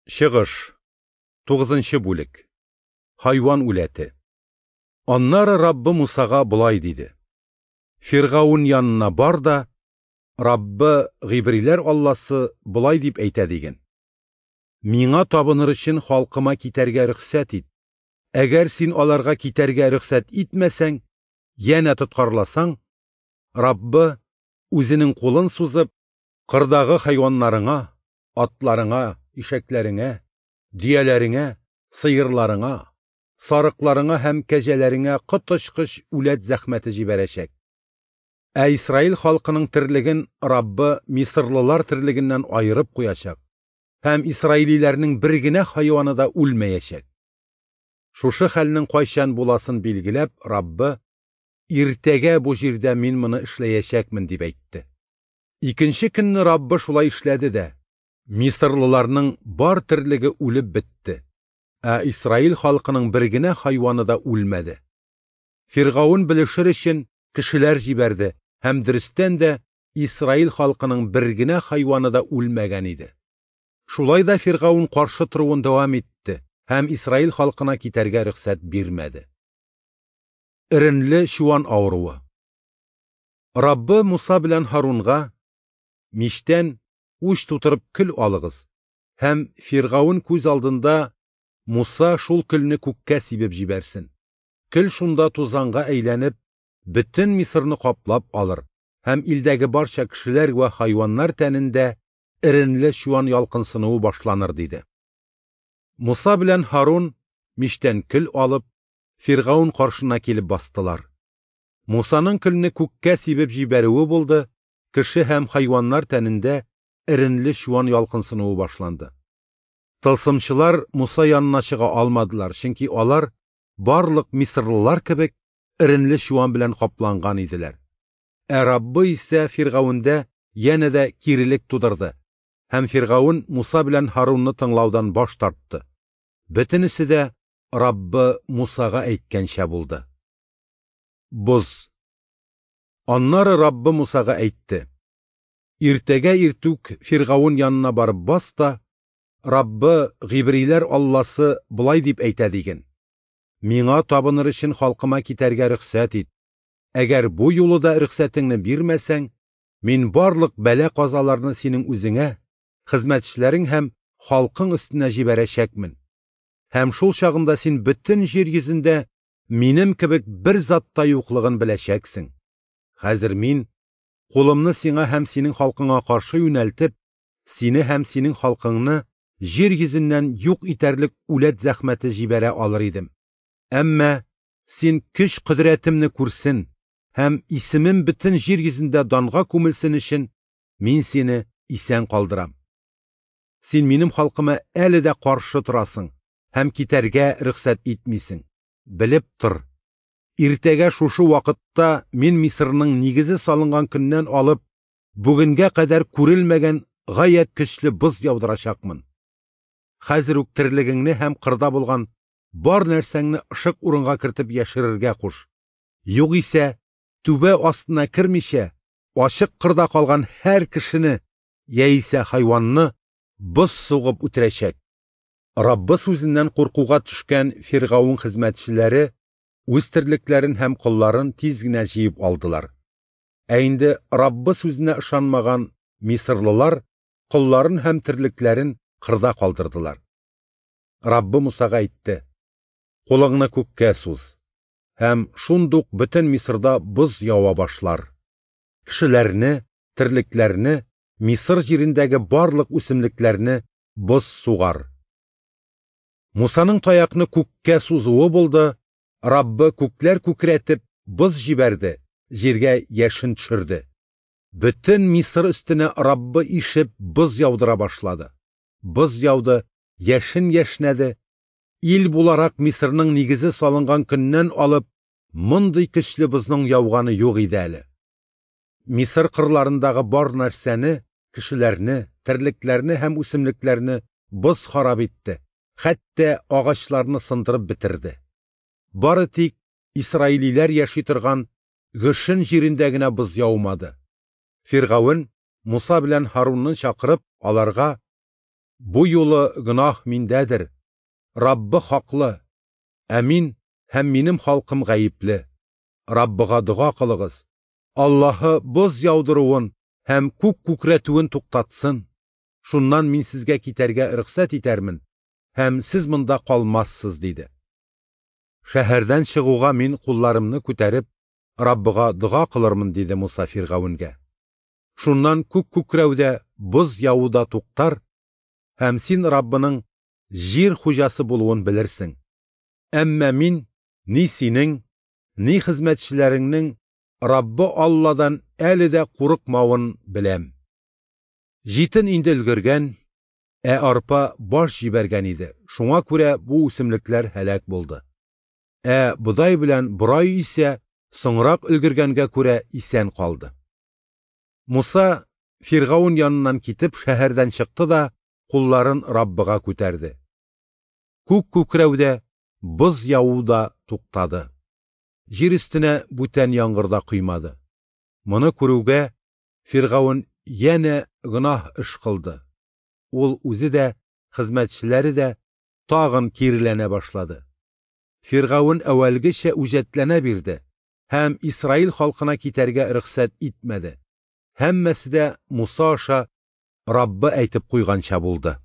Чыгыш, 9 бүлек. Хайван үләте. Аннары Раббы Мусага болай диде: Фиргаун янына бар да, Раббы, гыйбриләр Алласы, болай дип әйтә диген: Миңа табыныр өчен халкыма китәргә рөхсәт ит. Әгәр син аларга китәргә рөхсәт итмәсәң, янә тоткарласаң, Раббы үзенең кулын сузып, кырдагы хайваннарыңа, атларыңа, ишәкләреңә, дөяләреңә, сыерларыңа, сарыкларыңа һәм кәҗәләреңә коточкыч үләт зәхмәте җибәрәчәк. Ә Исраил халкының терлеген Раббы мисырлылар терлегеннән аерып куячак, һәм исраилиләрнең бер генә хайваны да үлмәячәк. Шушы хәлнең кайчан буласын билгеләп, Раббы: "Иртәгә бу җирдә мин моны эшләячәкмен", дип әйтте. Икенче көнне Раббы шулай эшләде дә, мисырлыларның бар терлеге үлеп бетте, ә Исраил халкының бер генә хайваны да үлмәде. Фиргаун белешер өчен кешеләр җибәрде, һәм дөрестән дә Исраил халкының бер генә хайваны да үлмәгән иде. Шулай да Фиргаун каршы торуын дәвам итте һәм Исраил халкына китәргә рөхсәт бирмәде. Эренле чуан авыруы. Раббы Муса белән Һарунга: "Мичтән уч тутырып көл алыгыз һәм Фиргаун күз алдында Муса шул көлне күккә сибеп җибәрсен. Көл шунда тузанга әйләнеп, бөтен Мисырны каплап алыр һәм илдәге барча кешеләр вә хайваннар тәнендә эренле чуан ялкынсынуы башланыр", диде. Муса белән Һарун мичтән көл алып, Фиргаун каршына килеп бастылар. Мусаның көлне күккә сибеп җибәрүе булды, кеше һәм хайваннар тәнендә эренле чуан ялкынсынуы башланды. Тылсымчылар Муса янына чыга алмадылар, чөнки алар барлык мисырлылар кебек эренле чуан белән капланган иделәр. Ә Раббы исә Фиргаунда янә дә кирелек тудырды, һәм Фиргаун Муса белән Һарунны тыңлаудан баш тартты. Бөтенесе дә Раббы Мусага әйткәнчә булды. Боз. Аннары Раббы Мусага әйтте: Иртәгә иртүк Фиргаун янына барып бас та, Раббы, гыйбриләр Алласы, болай дип әйтә диген: Миңа табыныр өчен халкыма китәргә рөхсәт ит. Әгәр бу юлы да рөхсәтеңне бирмәсәң, мин барлык бәла-казаларны синең үзеңә, хезмәтчеләрең һәм халкың өстенә җибәрәчәкмен. Һәм шул чагында син бөтен җир йөзендә минем кебек бер зат та юклыгын беләчәксең. Хәзер мин кулымны сиңа һәм синең халкыңа каршы юнәлтеп, сине һәм синең халкыңны җир йөзеннән юк итәрлек үләт зәхмәте җибәрә алыр идем. Әмма син көч кодрәтемне күрсен һәм исемем бөтен җир йөзендә данга күмелсен өчен мин сине исән калдырам. Син минем халкыма әле дә каршы торасың һәм китәргә рөхсәт итмисең. Белеп тор, иртәгә шушы вакытта мин Мисырның нигезе салынган көннән алып бүгенгә кадәр күрелмәгән гаять көчле боз яудырачакмын. Хәзер үк терлегеңне һәм кырда булган бар нәрсәңне ышык урынга кертеп яшерергә куш. Югыйсә, түбә астына кермичә, ачык кырда калган һәр кешене яисә хайванны боз сугып үтерәчәк. Раббы сүзеннән куркуга төшкән Фиргаун хезмәтчеләре үз терлекләрен һәм колларын тиз генә җыеп алдылар. Ә инде Раббы сүзенә ышанмаган мисырлылар колларын һәм терлекләрен кырда калдырдылар. Раббы Мусага әйтте: "Кулыңны күккә суз, һәм шундук бөтен Мисырда боз ява башлар. Кешеләрне, терлекләрне, Мисыр җирендәге барлык үсемлекләрне боз сугар". Мусаның таякны күккә сузуы булды, Раббы күкләр күкрәтеп боз җибәрде, җиргә яшен төшерде. Бөтен Мисыр өстенә Раббы ишеп боз яудыра башлады. Боз яуды, яшен яшнәде. Ил буларак Мисырның нигезе салынган көннән алып мондый көчле бозның яуганы юк иде әле. Мисыр кырларындагы бар нәрсәне, кешеләрне, терлекләрне һәм үсемлекләрне боз харап итте, хәтта агачларны сындырып бетерде. Бары тик исраилиләр яши торган Гөшен җирендә генә боз яумады. Фиргаун Муса белән Һарунны чакырып, аларга: Бу юлы гөнаһ миндәдер, Раббы хаклы, ә мин һәм минем халкым гаепле. Раббыга дога кылыгыз, Аллаһы боз яудыруын һәм күк күкрәтүен туктатсын. Шуннан мин сезгә китәргә рөхсәт итәрмен, һәм сез монда калмассыз, диде. Шәһәрдән чыгуга мин кулларымны күтәреп, Раббыга дога кылырмын, диде Муса Фиргавенгә. Шуннан күк күкрәү дә, боз яву да туктар, һәм син Раббының җир хуҗасы булуын белерсең. Әмма мин ни синең, ни хезмәтчеләреңнең Раббы Алладан әле дә курыкмавын беләм. Җитен инде өлгергән, ә арпа баш җибәргән иде, шуңа күрә бу үсемлекләр һәлак булды. Ә бодай белән борай исә соңрак өлгергәнгә күрә исән калды. Муса Фиргаун яныннан китеп шәһәрдән чыкты да кулларын Раббыга күтәрде. Күк күкрәү дә, боз яву да туктады. Җир өстенә бүтән яңгыр да коймады. Моны күрүгә Фиргаун янә гөнаһ эш кылды. Ул үзе дә, хезмәтчеләре дә тагын киреләнә башлады. Фиргаун әүвәлгечә үҗәтләнә бирде һәм Исраил халкына китәргә рөхсәт итмәде. Һәммәсе дә Муса аша Раббы әйтеп куйганча булды.